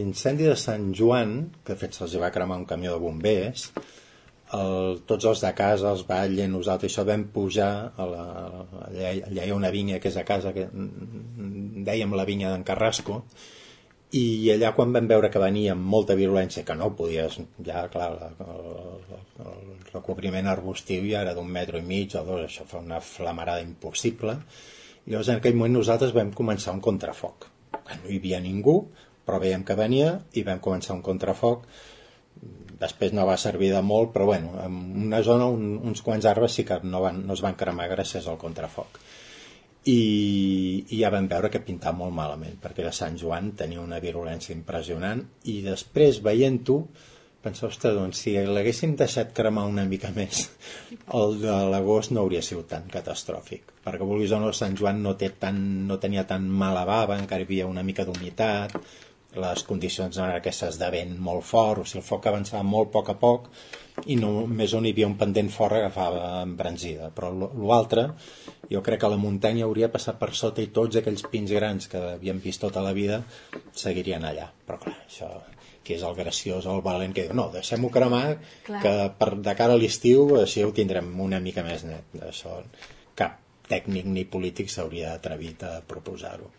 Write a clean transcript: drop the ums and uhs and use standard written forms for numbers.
l'incendi de Sant Joan, que de fet se'ls va cremar un camió de bombers, tots els de casa, els Batlle, nosaltres, això vam pujar allà hi ha una vinya que és a casa, que dèiem la vinya d'en Carrasco, i allà quan vam veure que venia amb molta virulència, que no podies, ja clar, el recobriment arbustiu ja era d'1,5 metres o 2, això fa una flamarada impossible, i llavors en aquell moment nosaltres vam començar un contrafoc. No hi havia ningú, però veiem que venia i vam començar un contrafoc. Després no va servir de molt, però bueno, en una zona uns quants arbres sí que no es van cremar gràcies al contrafoc. I ja vam veure que pintava molt malament, perquè de Sant Joan tenia una virulència impressionant, i després, veient-ho, pensava, ostres, doncs si l'haguéssim deixat cremar una mica més, el de l'agost no hauria sigut tan catastròfic, perquè vulguis o no, Sant Joan no tenia tan mala bava, encara hi havia una mica d'humitat, les condicions eren aquestes de vent molt fort, o sigui, el foc avançava molt a poc, i només on hi havia un pendent fort agafava embranzida, però l'altre, jo crec que la muntanya hauria passat per sota i tots aquells pins grans que havíem vist tota la vida seguirien allà, però clar, això que és el graciós, el valent que diu, no, deixem-ho cremar, clar, que de cara a l'estiu així ho tindrem una mica més net. Això cap tècnic ni polític s'hauria atrevit a proposar-ho.